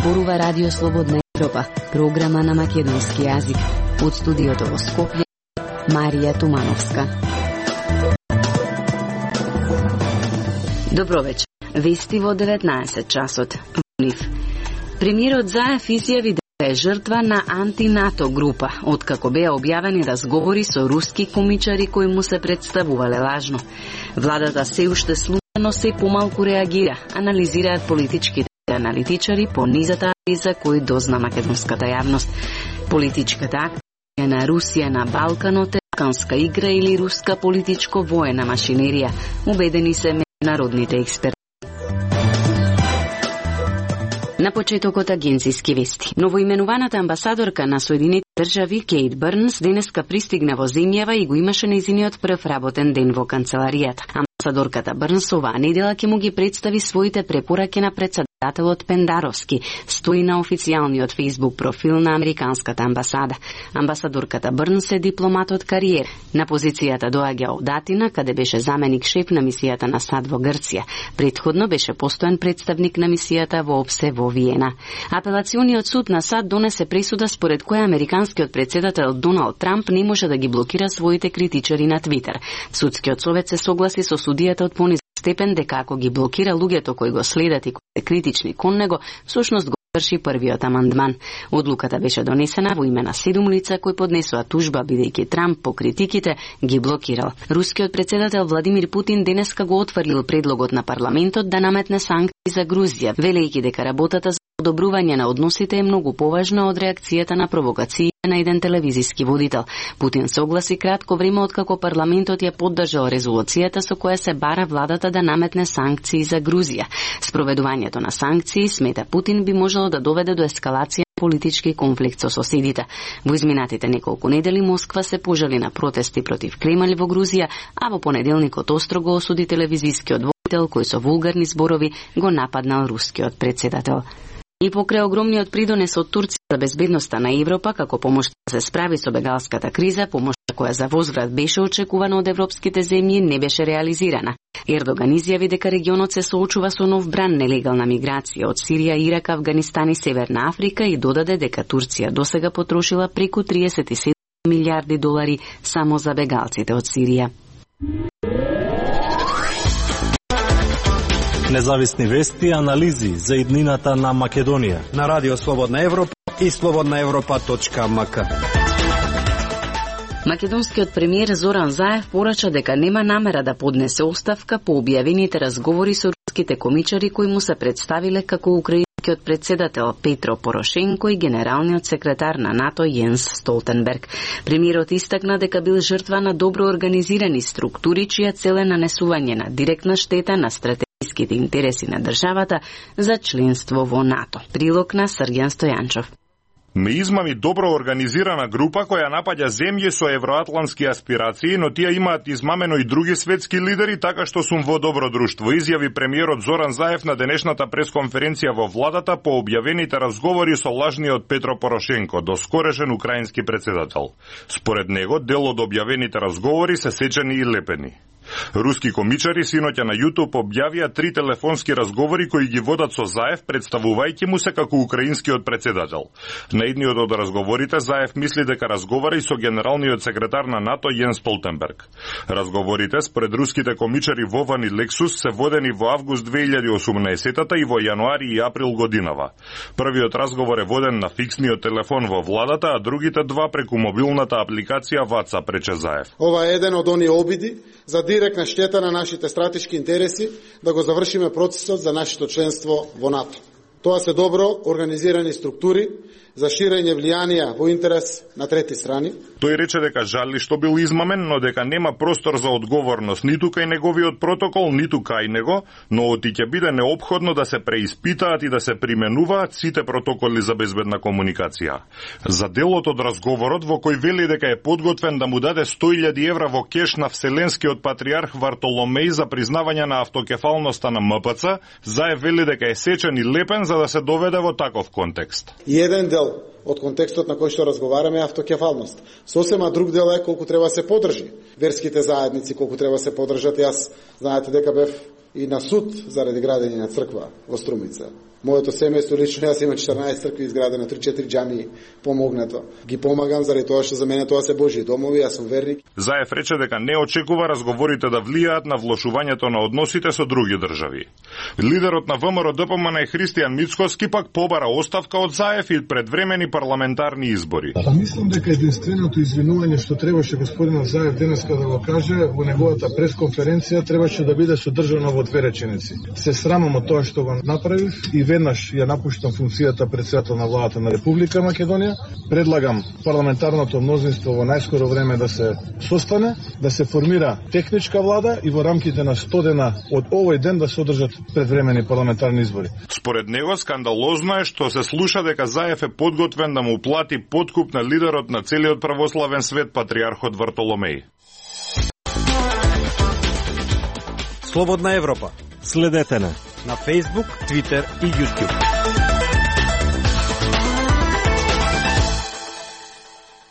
зборува Радио Слободна Европа, програма на македонски јазик. Од студиото во Скопје, Марија Тумановска. Добро вечер. Вести во 19 часот. Премиерот Заев изјави дека е жртва на анти-НАТО група, откако беа објавени разговори со руски комичари кои му се представувале лажно. Владата се уште слушано се помалку реагира, анализираат политичките аналитичари по низата за кои дозна македонската јавност. Политичката акција на Русија на Балканот е балканска игра или руска политичко-воена машинерија, убедени се меѓународните експерти. На почетокот агенцијски вести. Новоименуваната амбасадорка на Соединетите држави Кейт Бърнс денеска пристигна во земјава и го имаше нејзиниот прв работен ден во канцеларијата. Амбасадорката Бърнс оваа недела ќе му ги представи своите препораки на председателот Пендаровски, стои на официјалниот фејсбук профил на американската амбасада. Амбасадорката Бърнс е дипломат од кариера. На позицијата доаѓа од Атина, каде беше заменик шеф на мисијата на САД во Грција. Претходно беше постојан представник на мисијата во ОПСЕ во Виена. Апелациониот суд на САД донесе пресуда според која американскиот председател Доналд Трамп не може да ги блокира своите критичари на Твитер. Судскиот совет се согласи со судијата од понизен степен дека ако ги блокира луѓето кои го следат и кои се критични кон него, всушност го врши првиот амандман. Одлуката беше донесена во име на 7 лица кои поднесоа тужба бидејќи Трамп по критиките ги блокирал. Рускиот председател Владимир Путин денеска го отфрлил предлогот на парламентот да наметне санкции за Грузија, велејќи дека работата за одобрување на односите е многу поважна од реакцијата на провокации на еден телевизиски водител. Путин се огласи кратко време откако парламентот ја поддржал резолуцијата со која се бара владата да наметне санкции за Грузија. Спроведувањето на санкции, смета Путин, би можело да доведе до ескалација на политички конфликт со соседите. Во изминатите неколку недели Москва се пожали на протести против Кремљ во Грузија, а во понеделникот острого осуди телевизискиот водител кој со вулгарни зборови го нападнал рускиот председател. И покрај огромниот придонес од Турција за безбедноста на Европа како помош да се справи со бегалската криза, помошта која за возврат беше очекувана од европските земји, не беше реализирана. Ердоган изјави дека регионот се соочува со нов бран нелегална миграција од Сирија, Ирак, Авганистан и Северна Африка и додаде дека Турција досега потрошила преку 37 милиарди долари само за бегалците од Сирија. Независни вести и анализи за иднината на Македонија на Радио Слободна Европа и slobodnaevropa.mk. Македонскиот премиер Зоран Заев порача дека нема намера да поднесе оставка по објавените разговори со руските комичари кои му се представиле како украинскиот председател Петро Порошенко и генералниот секретар на НАТО Јенс Столтенберг. Премиерот истакна дека бил жртва на добро организирани структури чија цел е нанесување на директна штета на стратегиските интереси на државата за членство во НАТО. Прилог на Срѓан Стојанчов. Ме измами добро организирана група која напаѓа земји со евроатлантски аспирации, но тие имаат измамено и други светски лидери, така што сум во добро друштво, изјави премиерот Зоран Заев на денешната пресконференција во владата по објавените разговори со лажниот Петро Порошенко, доскорешен украински председател. Според него, дел од објавените разговори се сечени и лепени. Руски комичари синоќа на YouTube објавија 3 телефонски разговори кои ги водат со Заев, представувајќи му се како украинскиот председател. На едниот од разговорите Заев мисли дека разговара и со генералниот секретар на НАТО Јенс Столтенберг. Разговорите според руските комичари Вован и Лексус се водени во август 2018 и во јануари и април годинава. Првиот разговор е воден на фиксниот телефон во владата, а другите два преку мобилната апликација WhatsApp, рече Заев. Ова е еден од оние обиди за директна штета на нашите стратешки интереси да го завршиме процесот за нашето членство во НАТО. Тоа се добро организирани структури за ширење влијанија во интерес на трети страни. Тој рече дека жали што бил измамен, но дека нема простор за одговорност ниту кај неговиот протокол, ниту кај него, но оти ќе биде неопходно да се преиспитаат и да се применуваат сите протоколи за безбедна комуникација. За делот од разговорот во кој вели дека е подготвен да му даде 100.000 евра во кеш на Вселенскиот патриарх Вартоломеј за признавање на автокефалноста на МПЦ, Заев вели дека е сечен и лепен за да се доведе во таков контекст. И еден дел од контекстот на кој што разговараме е автокефалност. Сосема друг дел е колку треба се подржи верските заедници, колку треба се подржат. Јас знаете дека бев и на суд заради градење на црква во Струмица. Моето семејство лично, јас имам 14 цркви изградени, 3-4 џамии помогнато. Ги помагам заради тоа што за мене тоа се Божји домови, јас сум верник. Заев рече дека не очекува разговорите да влијаат на влошувањето на односите со други држави. Лидерот на ВМРО ДПМН Христијан Мицкоски пак побара оставка од Заев и предвремени парламентарни избори. Мислам дека единственото извинување што требаше господинот Заев денеска да го каже во неговата пресконференција требаше да биде содржано во 2 реченици. Се срамам од тоа што го направив и веднаш ја напуштам функцијата председател на владата на Република Македонија. Предлагам парламентарното мнозинство во најскоро време да се состане, да се формира техничка влада и во рамките на 100 дена од овој ден да се одржат предвремени парламентарни избори. Според него скандалозно е што се слуша дека Заев е подготвен да му плати подкуп на лидерот на целиот православен свет патриархот Вартоломеј. Слободна Европа. Следете на Facebook, Twitter и YouTube.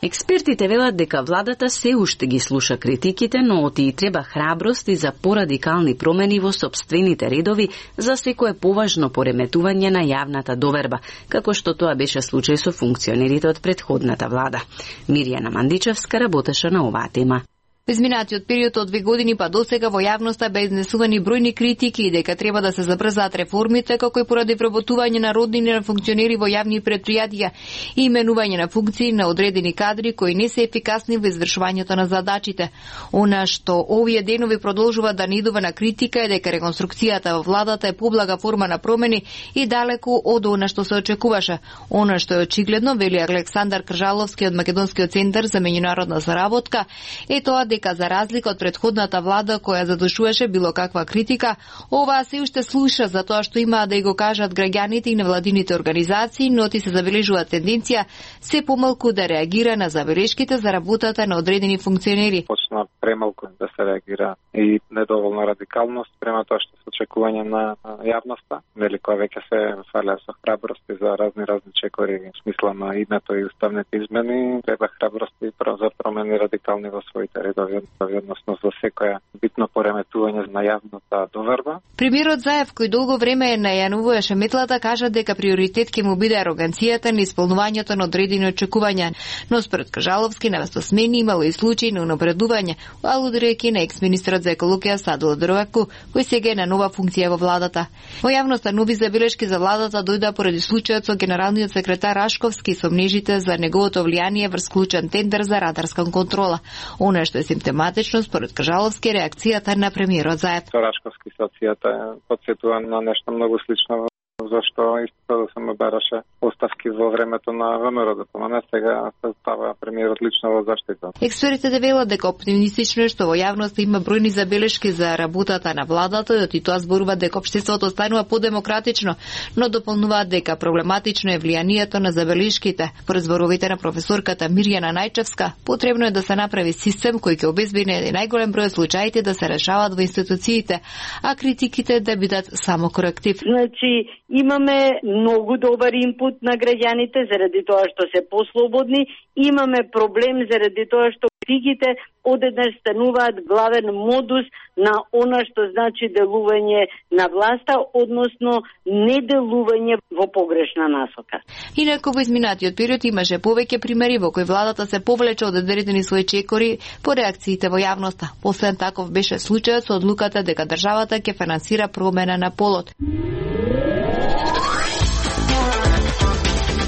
Експертите велат дека владата се уште ги слуша критиките, но оти и треба храброст и за порадикални промени во сопствените редови за секое поважно пореметување на јавната доверба, како што тоа беше случај со функционерите од претходната влада. Мирјана Мандичевска работеше на оваа тема. Во изминатиот период од 2 години па досега во јавноста бе изнесувани бројни критики и дека треба да се забрзаат реформите, како и поради вработување на роднини на функционери во јавни претпријатија и именување на функции на одредени кадри кои не се ефикасни во извршувањето на задачите. Она што овие денови продолжува да не идува на критика е дека реконструкцијата во владата е поблага форма на промени и далеку од она што се очекуваше. Она што е очигледно, вели Александар Кржаловски од Македонскиот центар за меѓународна заработка, е тоа дека за разлика од претходната влада која задушуваше било каква критика, оваа се уште слуша за тоа што имаа да и го кажат граѓаните и невладините организации, но ти се забележува тенденција се помалку да реагира на забелешките за работата на одредени функционери. Почна премалку да се реагира и недоволна радикалност према тоа што се очекување на јавноста, нели која веќе се фалеа со храброст и за разни чекори во смисла на идното и уставните измени, треба храброст и за промени радикални во своите редови, односно за секоја битно пореметување на јавната доверба. Премиерот Заев, кој долго време најануваше метлата, кажа дека приоритет ќе му биде ароганцијата на исполнувањето на одредени очекувања, но според Кажаловски навесто смени имало и случаи на унапредување, алудирајќи на екс-министрот за екологија Садо Дроваку, кој сега е на нова функција во владата. Во јавноста нови забелешки за владата дојдоа поради случајот со генералниот секретар Рашковски и сомнежите за неговото влијание врз клучен тендер за радарска контрола. Она што е симптоматично според Кажаловски реакцијата на премиерот Заев. Рашковски ситуацијата потсетува на нешто многу слично, зашто исто да се ме бараше оставки во времето на ВМРО ДПМН, сега се става премиерот лично во заштита. Експертите велат дека оптимистично е што во јавноста има бројни забелешки за работата на владата и тоа зборува дека општеството станува подемократично, но дополнуваат дека проблематично е влијанието на забелешките. По зборовите на професорката Мирјана Најчевска, потребно е да се направи систем кој ќе обезбеди најголем број случаите да се решават во институциите, а критиките да бидат само коректив. Значи, имаме многу добар инпут на граѓаните заради тоа што се послободни, имаме проблем заради тоа што критиките одеднаш стануваат главен модус на она што значи делување на власта, односно неделување во погрешна насока. Инаку во изминатиот период имаше повеќе примери во кои владата се повлече од одредени своји чекори по реакциите во јавноста. Последен таков беше случајот со одлуката дека државата ќе финансира промена на полот.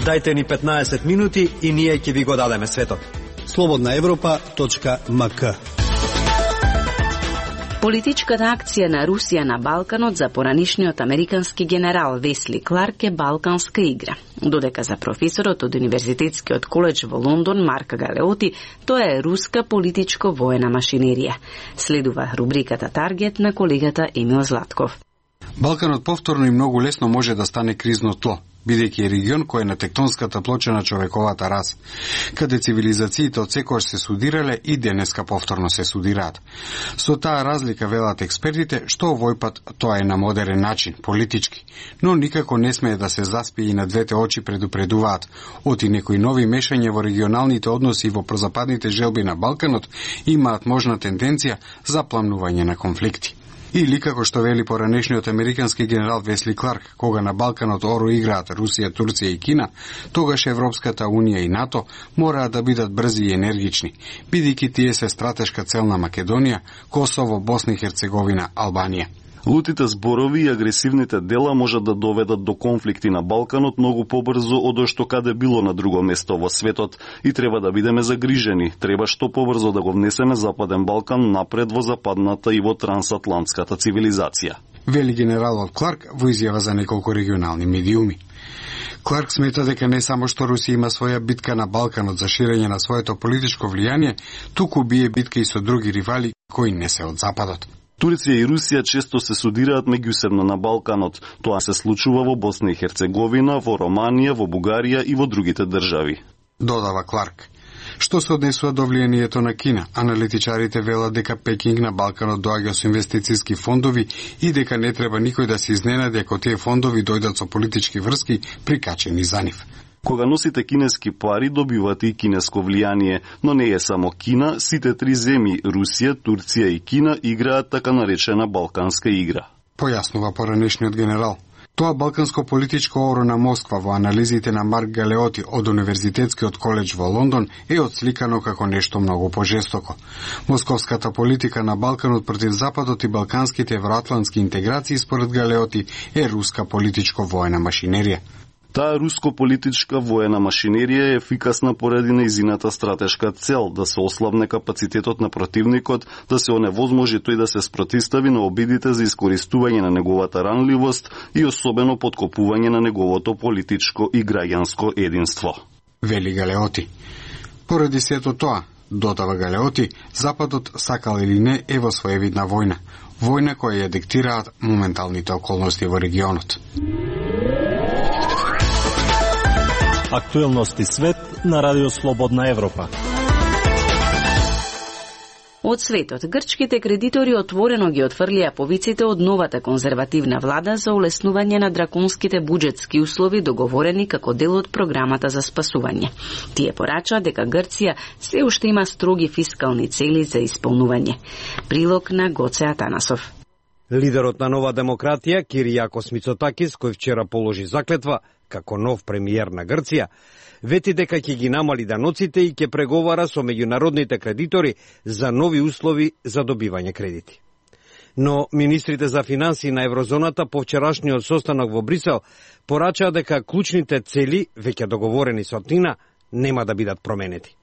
Дајте ни 15 минути и ние ќе ви го дадеме светот. slobodnaevropa.mk. Политичката акција на Русија на Балканот за поранишниот американски генерал Весли Кларк е балканска игра. Додека за професорот од Универзитетскиот коледж во Лондон Марк Галеоти, тоа е руска политичко-воена машинерија. Следува рубриката Таргет на колегата Емил Златков. Балканот повторно и многу лесно може да стане кризно тло, бидејќи е регион кој е на тектонската плоча на човековата раса, каде цивилизациите од секојаш се судирале и денеска повторно се судираат. Со таа разлика велат експертите што овој пат тоа е на модерен начин, политички, но никако не смее да се заспие и на двете очи предупредуваат. Оти некои нови мешања во регионалните односи и во прозападните желби на Балканот имаат можна тенденција за пламнување на конфликти. Или, како што вели поранешниот американски генерал Весли Кларк, кога на Балканот оро играат Русија, Турција и Кина, тогаш Европската Унија и НАТО мораат да бидат брзи и енергични, бидејќи тие се стратешка цел на Македонија, Косово, Босна и Херцеговина, Албанија. Лутите зборови и агресивните дела можат да доведат до конфликти на Балканот многу побрзо од што каде било на друго место во светот и треба да бидеме загрижени. Треба што побрзо да го внесеме Западен Балкан напред во западната и во трансатлантската цивилизација. Вели генералот Кларк во изјава за неколку регионални медиуми. Кларк смета дека не само што Русија има своја битка на Балканот за ширење на своето политичко влијание, туку бие битка и со други ривали кои не се од Западот. Турција и Русија често се судираат меѓусебно на Балканот. Тоа се случува во Босна и Херцеговина, во Романија, во Бугарија и во другите држави. Додава Кларк. Што се однесува до влијанието на Кина, аналитичарите велат дека Пекинг на Балканот доаѓа со инвестициски фондови и дека не треба никој да се изненади ако тие фондови дојдат со политички врски прикачени за нив. Кога носите кинески пари, добивате и кинеско влијание, но не е само Кина, сите три земји, Русија, Турција и Кина, играат така наречена Балканска игра. Појаснува поранешниот генерал. Тоа балканско политичко оро на Москва во анализите на Марк Галеоти од Универзитетскиот коледж во Лондон е отсликано како нешто многу пожестоко. Московската политика на Балканот против Западот и балканските евроатлантски интеграции според Галеоти е руска политичко-воена машинерија. Таа руско-политичка воена машинерија е ефикасна поради нејзината стратешка цел да се ослабне капацитетот на противникот, да се оневозможи тој да се спротистави на обидите за искористување на неговата ранливост и особено подкопување на неговото политичко и граѓанско единство. Вели Галеоти. Поради сето тоа, додава Галеоти, Западот, сакал или не, е во своевидна војна. Војна која ја диктираат моменталните околности во регионот. Актуелности свет на Радио Слободна Европа. Од светот, грчките кредитори отворено ги отфрлија повиците од новата конзервативна влада за улеснување на драконските буџетски услови договорени како дел од програмата за спасување. Тие порачаа дека Грција се уште има строги фискални цели за исполнување. Прилог на Гоце Атанасов. Лидерот на Нова демократија, Киријакос Мицотакис, кој вчера положи заклетва како нов премиер на Грција, вети дека ќе ги намали даноците и ќе преговара со меѓународните кредитори за нови услови за добивање кредити. Но министрите за финансии на еврозоната по вчерашниот состанок во Брисел порачаа дека клучните цели, веќе договорени со Атина, нема да бидат променети.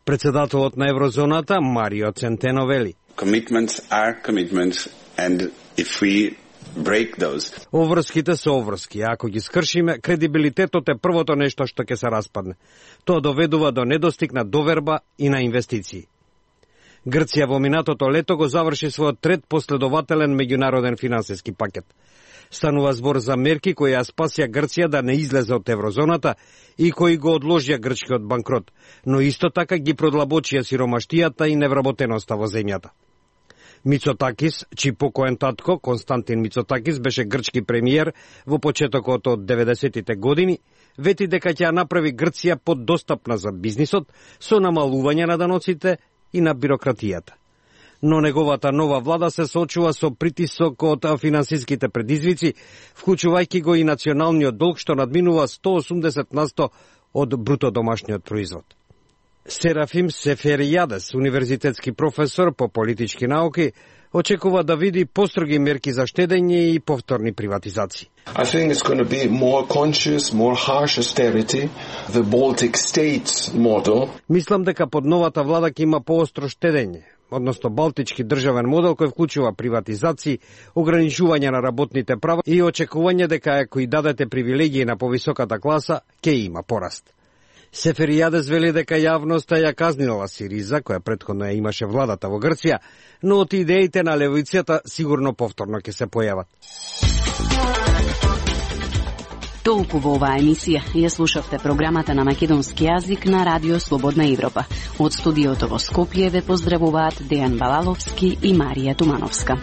Председателот на еврозоната Марио Центено вели: Commitments are commitments, and if we break those. Оврските се оврски, а ако ги скршиме, кредибилитетот е првото нешто што ќе се распадне. Тоа доведува до недостиг на доверба и на инвестиции. Грција во минатото лето го заврши својот трет последователен меѓународен финансиски пакет. Станува збор за мерки кои ја спасија Грција да не излезе од еврозоната и кои го одложија грчкиот банкрот, но исто така ги продлабочија сиромаштијата и невработеноста во земјата. Мицотакис, чиј покоен татко, Константин Мицотакис, беше грчки премиер во почетокот од 90-тите години, вети дека ќе ја направи Грција поддостапна за бизнисот со намалување на даноците и на бирократијата. Но неговата нова влада се соочува со притисок од финансиските предизвици, вклучувајќи го и националниот долг што надминува 180% од бруто домашниот производ. Серафим Сеферијадес, универзитетски професор по политички науки, очекува да види построги мерки за штедење и повторни приватизации. I think it's going to be more conscious, more harsh austerity, the Baltic States model. Мислам дека под новата влада ќе има поостро штедење, односно балтички државен модел кој вклучува приватизации, ограничување на работните права и очекување дека ако и дадете привилегии на повисоката класа, ќе има пораст. Сеферијадес вели дека јавноста ја казнила Сириза, која претходно ја имаше владата во Грција, но од идеите на левицата сигурно повторно ќе се појават. Толку во оваа емисија. Ја слушавте програмата на македонски јазик на Радио Слободна Европа. Од студиото во Скопје ве поздравуваат Дејан Балаловски и Марија Тумановска.